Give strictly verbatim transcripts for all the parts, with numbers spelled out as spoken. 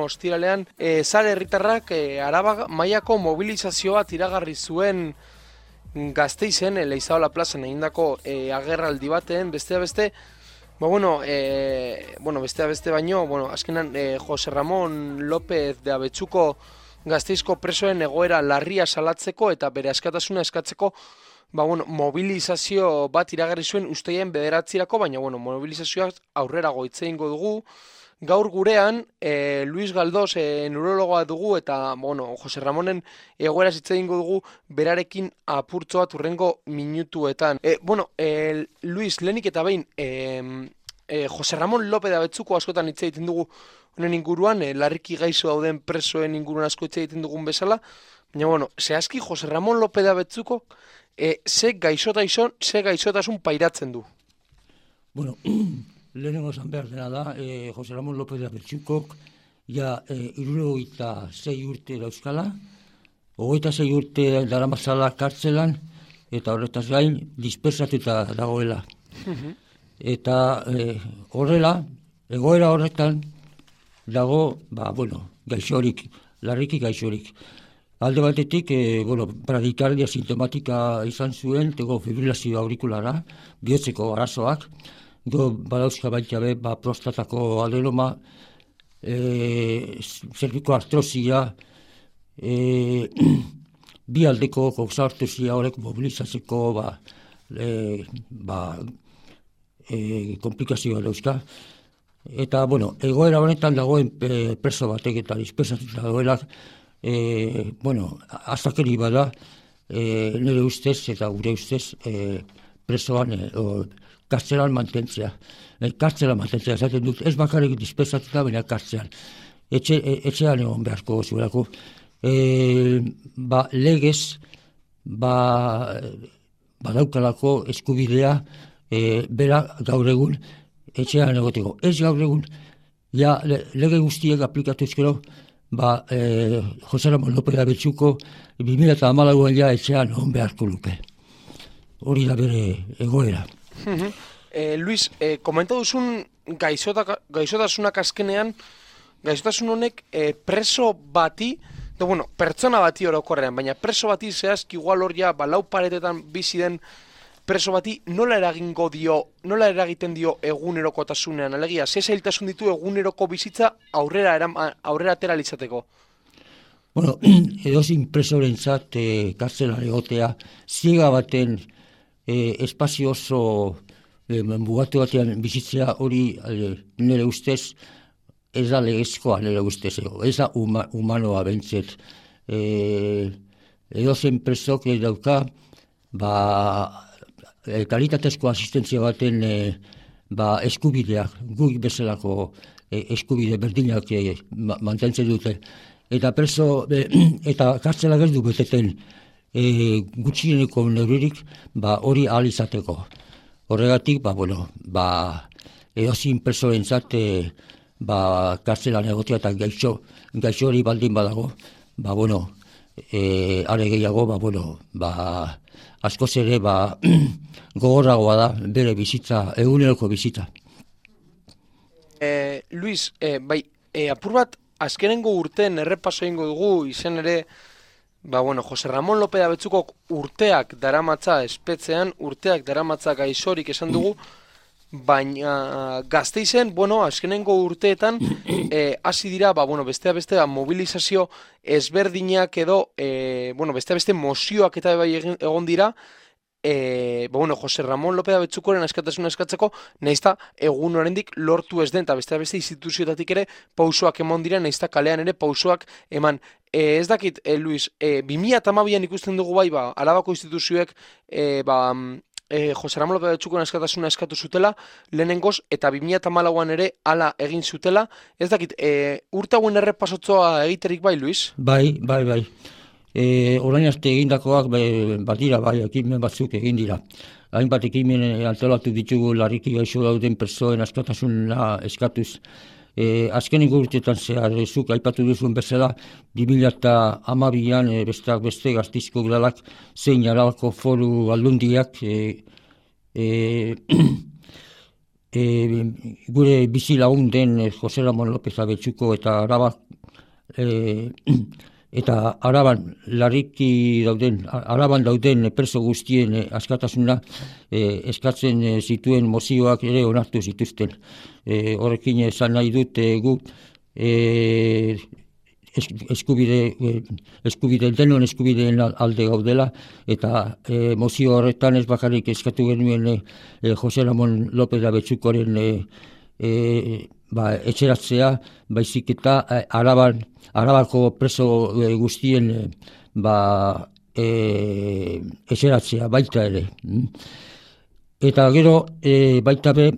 ostiralean, e, Sare herritarrak e, Araba mailako mobilizazio bat iragarri zuen Gasteizen, e, Leizaola plazan egindako e, agerraldi baten, bestea beste, ba, bueno, e, bueno, bestea beste baino, bueno, azkenan e, Jose Ramon López de Abetxuko Gasteizko presoen egoera larria salatzeko eta bere askatasuna eskatzeko, ba, bueno, mobilizazio bat iragarri zuen usteien bederatzirako, baina bueno, mobilizazioak aurrerago hitz egingo dugu. Gaur gurean, e, Luis Galdós e, neurologoa dugu eta bueno, Jose Ramonen egoeraz hitz egingo dugu berarekin apurtxo bat hurrengo minutuetan. E, bueno, e, Luis, lehenik eta behin, e, e, Jose Ramon López de Abetxuko askotan hitz egiten dugu honen inguruan, e, larriki gaixo dauden presoen inguruan asko hitz egiten dugun bezala, baina bueno, zehazki Jose Ramon López de Abetxuko e, ze gaixotasun, ze gaixotasun pairatzen du? Bueno, lehenengo esan behar dena da, e, Jose Ramon López de Abetxukok ja e, hirurogeita sei urte dauzkala, hogeita sei urte daramazala kartzelan, eta horretaz gain dispersatuta dagoela. Eta e, horrela, egoera horretan dago, ba, bueno, gaixorik, larriki gaixorik. Alde batetik, e, bueno, bradikardia sintomatika izan zuen, tego fibrilazio aurikulara, bihotzeko arazoak, go badauzka baita be, ba, prostatako adenoma, e, zerbiko artrosia, e, bi aldeko koxartosia horrek mobilizatzeko, ba, e, ba, e, komplikazioa dauzka. Eta, bueno, egoera honetan dagoen e, preso batek eta dispersatuta dagoelak, E, bueno, azakeri bada, e, nire ustez eta gure ustez e, presoan, e, o, kartzelan mantentzea. E, kartzelan mantentzea, esaten dut, ez bakarrik dispersatuta, baina kartzelan. Etxe, e, etxean egon beharko zuelako. E, ba, legez, ba, badaukalako eskubidea, e, bera gaur egun, etxean egoteko. Ez gaur egun, ja, le, lege guztiek aplikatu ezkero, ba, eh, Jose Ramon López de Abetxuko bi mila hamalauan ja etxean on beharko luke. Hori da bere egoera. eh, Luis, eh, komenta duzun gaixota, gaixotasunak azkenean, gaixotasun honek eh, preso bati, de, bueno, pertsona bati orokorrean, baina preso bati zehazki igual hor ja, ba, lau paretetan bizi den preso bati nola eragingo dio, nola eragiten dio egunerokotasunean, alegia, ze zailtasun ditu eguneroko bizitza aurrera eram, aurrera atera litzateko? Bueno, edozin presorentzat e, kartzelan egotea, ziega baten e, espazio oso e, mugatu batean bizitzea hori e, nire ustez, ez da legezkoa nire ustez, ez da uma, humanoa bentzet. E, edozen presok ez dauka, ba, E, kalitatezko asistentzia baten e, ba, eskubideak, guk bezalako e, eskubide berdinak e, ma, mantentzen dute. Eta preso, e, eta kartzelak ez du beteten e, gutxieneko neuririk ba, hori ahal izateko. Horregatik, ba, bueno, ba, edozin presoentzat e, ba, kartzelan egotea eta gaixo, gaixo hori baldin badago, ba, bueno, e, are gehiago, ba, bueno, ba, askoz ere, ba, gogorragoa da bere bizitza, eguneroko bizitza. Eh, Luis, eh, bai, eh, apur bat, azkenengo urteen errepaso egingo dugu, izen ere, ba, bueno, Jose Ramon López de Abetxukok urteak daramatza espetzean, urteak daramatza gaixorik esan dugu, baina Gasteizen, bueno, azkenengo urteetan, eh, hasi dira, ba, bueno, bestea beste, ba, mobilizazio ezberdinak edo, eh, bueno, bestea beste mozioak eta bai egon dira, eh, ba, bueno, Jose Ramon López de Abetxukoren askatasuna eskatzeko, naizta egun oraindik lortu ez den, eta bestea beste instituzioetatik ere pausoak eman dira, naizta kalean ere pausoak eman. Eh, ez dakit, eh, Luis, eh, bi mila hamabian ikusten dugu bai, ba, Arabako instituzioek, eh, ba, E, Jose Ramon López de Abetxukoren askatasuna eskatu zutela, lehenengoz, eta bi mila hamalauan ere hala egin zutela. Ez dakit, e, urte hauen errepasotzoa egiterik bai, Luis? Bai, bai, bai. E, orain arte egindakoak bai, badira, bai, ekimen batzuk egin dira. Hainbat ekimen antolatu ditugu larriki gaixo dauden persoen askatasuna eskatuz. E, azkenengo urteetan zehar, zuk aipatu duzuen bezala, bi mila hamabian e, besteak beste Gasteizko udalak zein Arabako foru aldundiak e, e, e, gure bizi lagun den Jose Ramon López Abetxuko eta Araba e, eta Araban larriki dauden, Araban dauden preso guztien e, askatasuna e, eskatzen e, zituen mozioak ere onartu zituzten. E, horrekin esan nahi dut e, gu e, eskubide, eskubide, denon eskubideen alde gaudela, eta e, mozio horretan ez bakarrik eskatu genuen e, e, Jose Ramon López Abetxukoren e, e, ba, etxeratzea, baizik eta e, Araban, Arabako preso e, guztien e, ba, e, etxeratzea baita ere. Eta gero e, baita be,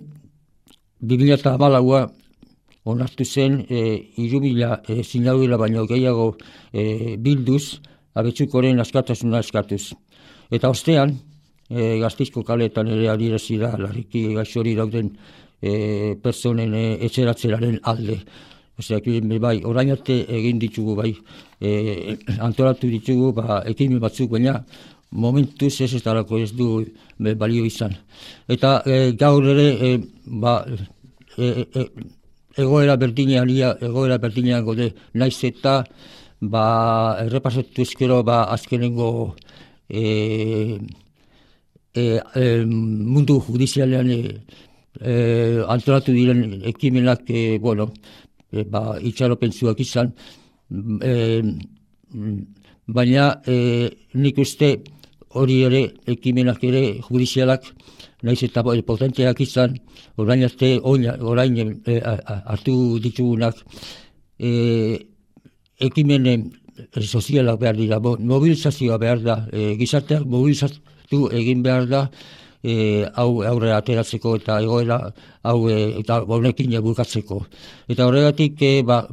bi mila hamalaua onartu zen e, irubila e, sinadura baino gehiago e, bilduz, Abetxukoren askatasuna eskatuz. Eta ostean, e, Gasteizko kaletan ere adierazi da larriki gaixori dauden e, personen e, etxeratzeraren alde. Osea, bai, orain arte egin ditugu, bai, e, antolatu ditugu, ba, ekimen batzuk, baina momentuz ez ez darako ez du be, balio izan. Eta e, gaur ere, e, ba, e, e, egoera berdinean, egoera berdinean gode, naiz eta ba, errepasatu ezkero ba, azkenengo e, e, e, mundu judizialean e, e, antolatu diren ekimenak, e, bueno, e, ba, itxaropentsuak izan, e, baina e, nik uste hori ere ekimenak ere judizialak naiz eta potenteak izan, orain arte, orain e, hartu ditugunak, e, ekimen e, sozialak behar dira, mobilizazioa behar da, e, gizarteak mobilizatu egin behar da, e, hau aurre ateratzeko eta egoera hau e, eta honekin bukatzeko. Eta horregatik, e, ba,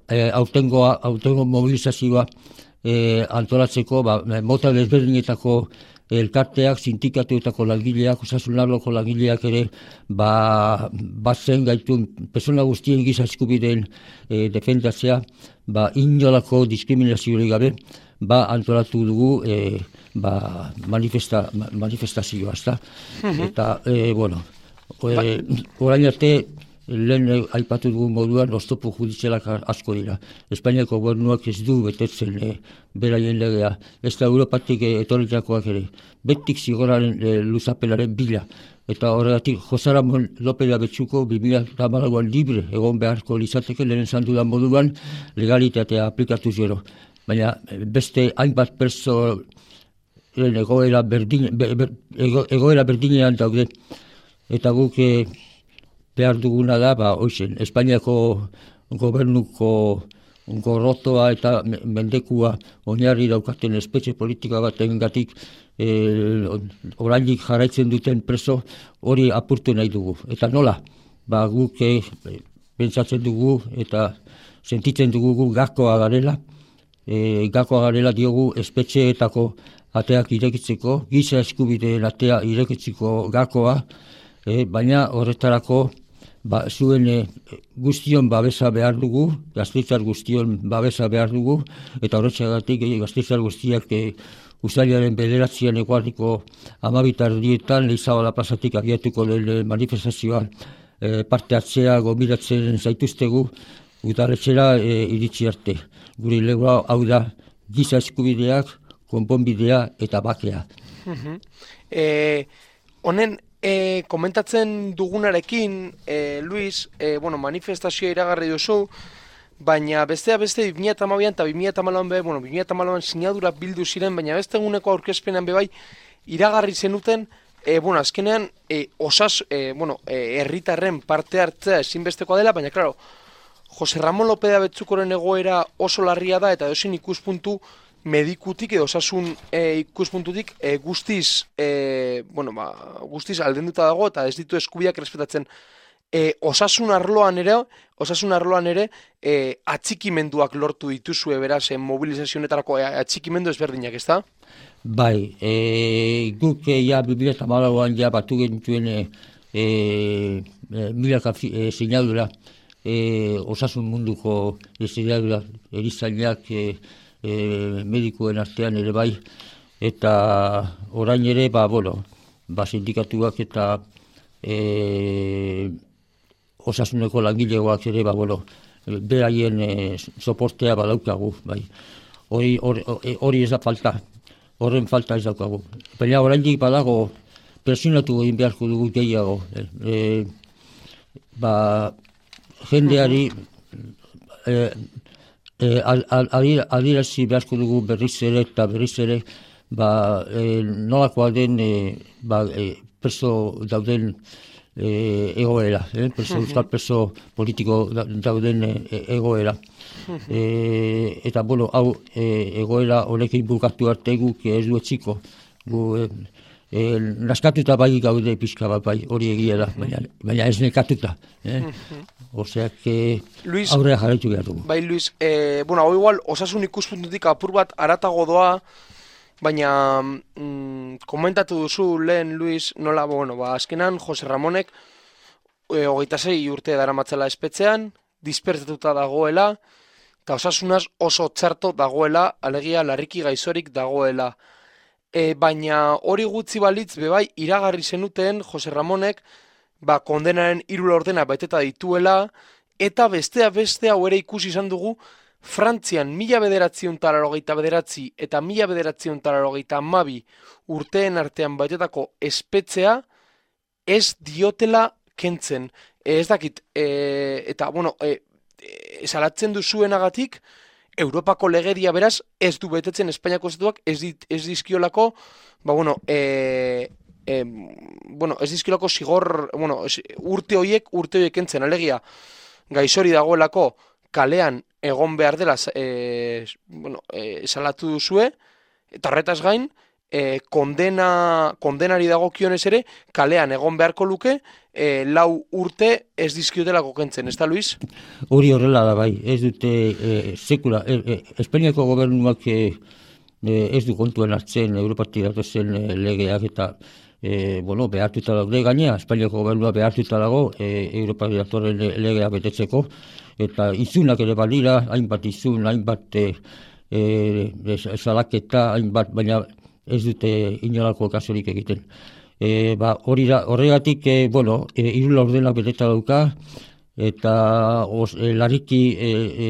e, autengoa, autengo mobilizazioa e, antolatzeko, ba, mota desberdinetako elkarteak, sindikatuetako langileak, osasun arloko langileak ere, ba, batzen gaitun persona guztien giza eskubideen e, defendatzea, ba, inolako diskriminaziorik gabe, ba, antolatu dugu e, ba, manifesta, manifestazioa, ezta? Eta, e, bueno, e, orain arte, lehen aipatu dugun moduan, oztopo judizialak asko dira. Espainiako gobernuak ez du betetzen e, beraien legea. Ez da Europatik e, etorritakoak ere. Betik zigoraren e, luzapenaren bila. Eta horregatik, Jose Ramon López Abetxuko bi mila hamalauan libre egon beharko lizateke lehen esan dudan moduan legalitatea aplikatu gero. Baina beste hainbat perso egoera, berdin, be, be, ego, egoera berdinean daude. Eta guk e, behar duguna da, ba, oizen, Espainiako gobernuko gorrotoa eta mendekua oinarri daukaten espetxe politika baten gatik e, orainik jarraitzen duten preso hori apurtu nahi dugu. Eta nola, ba, guk e, pentsatzen dugu eta sentitzen dugu gu gakoa garela, e, gakoa garela diogu espetxeetako ateak irekitzeko, giza eskubideen atea irekitzeko gakoa, e, baina horretarako ba, zuen e, guztion babesa behar dugu, Gasteiztar guztion babesa behar dugu, eta horretxagatik e, Gasteiztar guztiak e, Uztailaren bederatzian eguardiko amabitardietan Leizabala plazatik abiatuko den manifestazioan e, parte hartzea gombiratzen zaituztegu udaletxera e, iritsi arte. Guri legua hau da giza eskubideak, konponbidea eta bakea. Uh-huh. e, honen E, komentatzen dugunarekin, e, Luis, e, bueno, manifestazioa iragarri duzu, baina bestea beste bi mila hamabian eta bi mila hamalauan be, bueno, bi mila hamalauan sinadura bildu ziren, baina beste eguneko aurkezpenan bebai iragarri zenuten, e, bueno, azkenean, e, osas, e, bueno, e, herritarren parte hartzea ezinbestekoa dela, baina, claro, Jose Ramon López Abetxukoren egoera oso larria da, eta edozein ikuspuntu medikutik edo osasun e, ikuspuntutik e, guztiz, e, bueno, ba, guztiz aldenduta dago eta ez ditu eskubiak errespetatzen. E, osasun arloan ere, osasun arloan ere e, atxikimenduak lortu dituzue beraz e, mobilizazionetarako e, atxikimendu ezberdinak, ez da? Bai, e, guk e, ja bi mila hamalauan ja batu genituen e, e, milaka e, sinadura e, osasun munduko e, sinadura erizainak e, E, medikuen artean ere bai, eta orain ere, ba, bueno, ba, sindikatuak eta e, osasuneko langilegoak ere, ba, bueno, beraien e, soportea badaukagu, bai. Hori, hori, hori ez da falta, horren falta ez daukagu. Baina oraindik badago, presionatu egin beharko dugu gehiago. E, e, ba, jendeari e, e, adirazi beharko dugu berriz ere eta berriz ere, ba, e, nolakoa den e, ba, e, preso dauden e, egoera, eh? preso, euskal preso politiko dauden e, egoera. E, eta, bueno, hau e, egoera honekin bukatu arte guk ez du etxiko. Gu, e, e, naskatuta bai gaude pixka bat bai, hori egia da, baina, baina ez nekatuta. Eh? Oseak e, aurrea jarraitu behar dugu. Bai, Luis, e, bueno, hau igual, osasun ikuspuntutik apur bat aratago doa, baina mm, komentatu duzu lehen, Luis, nola, bueno, ba, azkenan, Jose Ramonek e, hogeita sei urte daramatzela espetxean, dispertatuta dagoela, eta osasunaz oso txarto dagoela, alegia larriki gaizorik dagoela. E, baina hori gutxi balitz, bebai, iragarri zenuten Jose Ramonek, ba, kondenaren hiru laurdena beteta dituela, eta bestea beste hau ere ikusi izan dugu, Frantzian mila bederatzion talarogeita bederatzi eta mila bederatzion talarogeita amabi urteen artean baitetako espetxea ez diotela kentzen. E, ez dakit, e, eta, bueno, e, e, salatzen duzuenagatik, Europako legedia beraz ez du betetzen Espainiako estatuak ez, dit, ez dizkiolako, ba, bueno, e, e, bueno, ez dizkiolako zigor, bueno, ez, urte horiek, urte horiek kentzen, alegia, gaixori dagoelako kalean egon behar dela e, bueno, e, salatu duzue, eta horretaz gain, e, kondena, kondenari dagokionez ere, kalean egon beharko luke, e, lau urte ez dizkiotelako kentzen, ez da, Luis? Hori horrela da bai, ez dute e, sekula, e, e, Espainiako gobernuak e, ez du kontuen hartzen Europatik datozen e, legeak eta E, bueno, behartuta daude gainea, Espainiako gobernua behartuta dago e, Europa datorren legea betetzeko, eta izunak ere balira, hainbat izun, hainbat e, e, salaketa, hainbat, baina ez dute inolako kasurik egiten. E, ba, hori da, horregatik, e, bueno, e, hiru laurdenak beteta dauka, eta os, e, larriki e, e,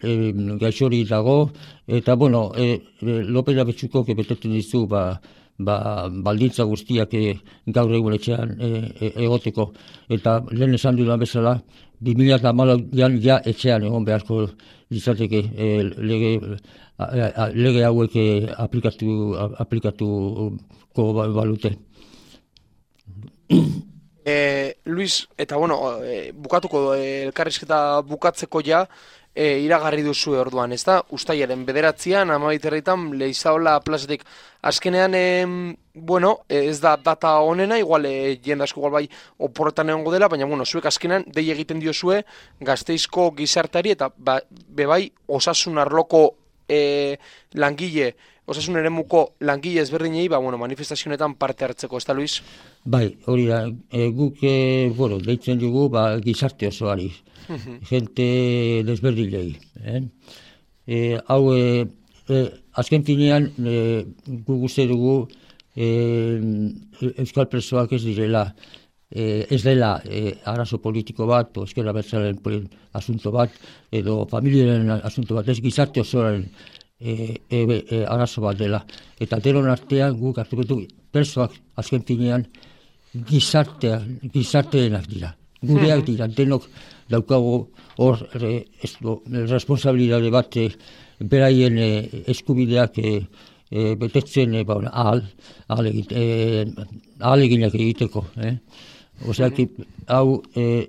e, gaixori dago, eta, bueno, e, e, Lopez Abetxuko betetzen dizu, ba, ba, baldintza guztiak e, gaur egun etxean e, e, egoteko. Eta lehen esan dudan bezala, bi mila hamalauan ja etxean egon beharko litzateke e, lege, a, a, lege hauek e, aplikatu, a, aplikatuko balute. E, Luis, eta bueno, e, bukatuko e, elkarrizketa bukatzeko ja, E, iragarri duzu orduan, ez da? Uztailaren bederatzian, amabiterritan, Leizaola plazatik. Azkenean, e, bueno, ez da data honena, igual, e, jendasko igual bai oporretan egongo dela, baina, bueno, zuek azkenean, dei egiten diozue Gasteizko gizartari, eta ba, bebai osasun arloko e, langile, osasun eremuko langile ezberdinei, ba, bueno, manifestazionetan parte hartzeko, ez da, Luis? Bai, hori da, e, guk, e, bueno, deitzen dugu, ba, gizarte osoari. Gente desberdilei. Eh? E, hau, e, e, azken finean, e, gu guzti dugu e, euskal presoak ez direla, e, ez dela e, arazo politiko bat, o ezkerra bertzaren asunto bat, edo familiaren asunto bat, ez gizarte osoaren e, e, e, arazo bat dela. Eta denon artean guk hartuko dugu presoak azken finean gizartea, gizarteenak dira. Gureak dira, denok daukago hor re, responsabilitate bat e, beraien e, eskubideak e, e, betetzen e, ba, ahal, ahal, egite, e, ahal eginak egiteko. Eh? Oseak, hau e,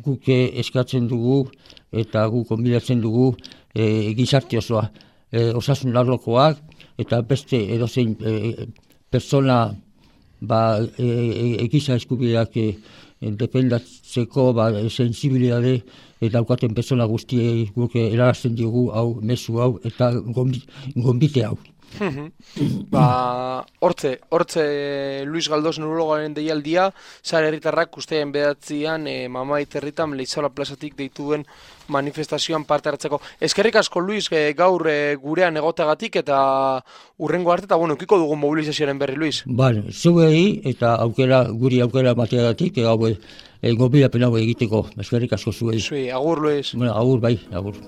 guk eskatzen dugu eta guk konbidatzen dugu e, gizarte osoa, e, osasun arlokoak eta beste edozein e, persona ba, e, e, giza eskubideak e, defendatzeko ba, sensibilidade eta daukaten persona guztiei guk erarazten diogu hau, mezu hau eta gonbite hau. Ba, hortze, hortze Luis Galdós neurologaren deialdia, Sare Herritarrak ustean bedatzian e, Mamait herritan Leizaola plazatik deituen manifestazioan parte hartzeko. Eskerrik asko, Luis, e, gaur e, gurean egoteagatik eta urrengo arte, eta bueno, ukiko dugun mobilizazioaren berri, Luis. Bale, zuei eta aukera, guri aukera mateagatik, hau e, gobiapen hau egiteko, eskerrik asko zuei. Zui, agur Luis. Bueno, agur bai, agur.